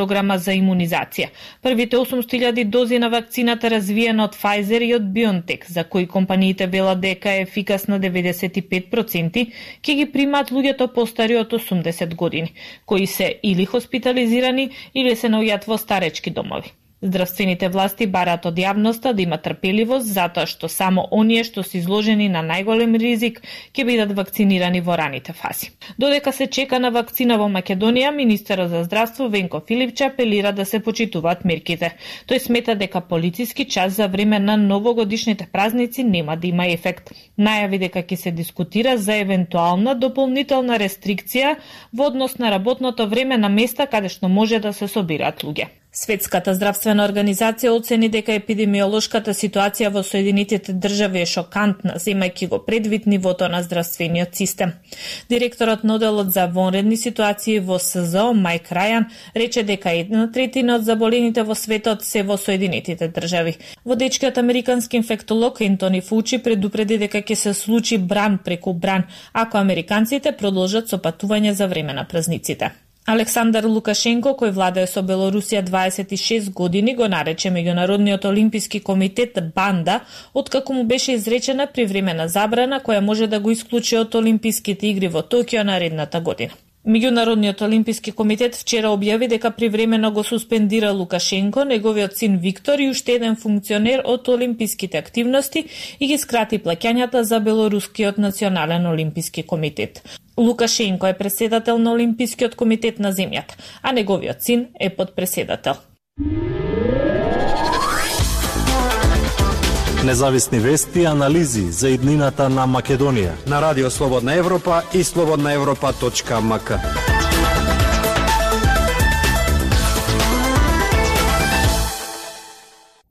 програма за имунизација. Првите 800.000 дози на вакцината развиена од Pfizer и од BioNTech, за кои компаниите велат дека е ефикасна 95%, ќе ги примаат луѓето постари од 80 години, кои се или хоспитализирани или се наоѓаат во старечки домови. Здравствените власти бараат од јавноста да има трпеливост, затоа што само оние што се изложени на најголем ризик ќе бидат вакцинирани во раните фази. Додека се чека на вакцина во Македонија, министерот за здравство Венко Филипче апелира да се почитуваат мерките. Тој смета дека полициски час за време на новогодишните празници нема да има ефект. Најави дека ќе се дискутира за евентуална дополнителна рестрикција во однос на работното време на места каде што може да се собираат луѓе. Светската здравствена организација оцени дека епидемиолошката ситуација во Соединетите држави е шокантна, земајќи го предвид нивото на здравствениот систем. Директорот на оделот за вонредни ситуации во СЗО Майк Рајан рече дека 1/3 од заболените во светот се во Соединетите држави. Водечкиот американски инфектолог Ентони Фаучи предупреди дека ќе се случи бран преку бран ако американците продолжат со патување за време на празниците. Александар Лукашенко, кој владее со Белорусија 26 години, го нарече Меѓународниот олимписки комитет банда, откако му беше изречена привремена забрана која може да го исклучи од Олимписките игри во Токио наредната година. Меѓународниот олимписки комитет вчера објави дека привремено го суспендира Лукашенко, неговиот син Виктор и уште еден функционер од олимписките активности и ги скрати плаќањата за Белорускиот национален олимписки комитет. Лукашенко е председател на Олимпискиот комитет на земјата, а неговиот син е подпредседател. Независни вести и анализи за иднината на Македонија на Радио Слободна Европа и slobodnaevropa.mk.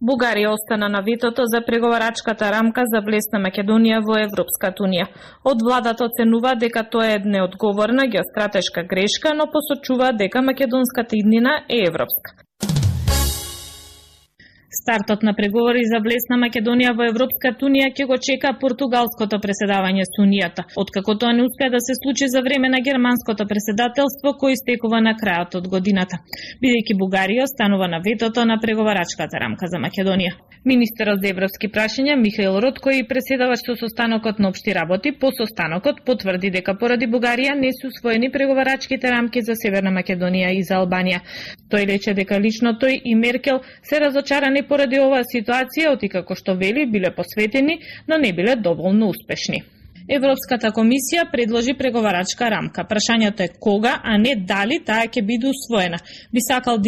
Бугарија остана на ветото за преговарачката рамка за влез на Македонија во Европската унија. Од владата оценува дека тоа е неодговорна геостратешка грешка, но посочува дека македонската иднина е европска. Стартот на преговори за влез на Македонија во Европската унија ќе го чека португалското преседавање со унијата, откако тоа не успеа да се случи за време на германското преседателство кој истекува на крајот од годината, бидејќи Бугарија останува на ветото на преговарачката рамка за Македонија. Министерот за европски прашања Михаил Ротко и преседавач со состанокот на општи работи по состанокот потврди дека поради Бугарија не се усвоени преговарачките рамки за Северна Македонија и за Албанија. Тој рече дека лично тој и Меркел се разочарани поради оваа ситуација, откако што вели биле посветени, но не биле доволно успешни. Европската комисија предложи преговарачка рамка. Прашањето е кога, а не дали таа ќе биде усвоена. Би сакал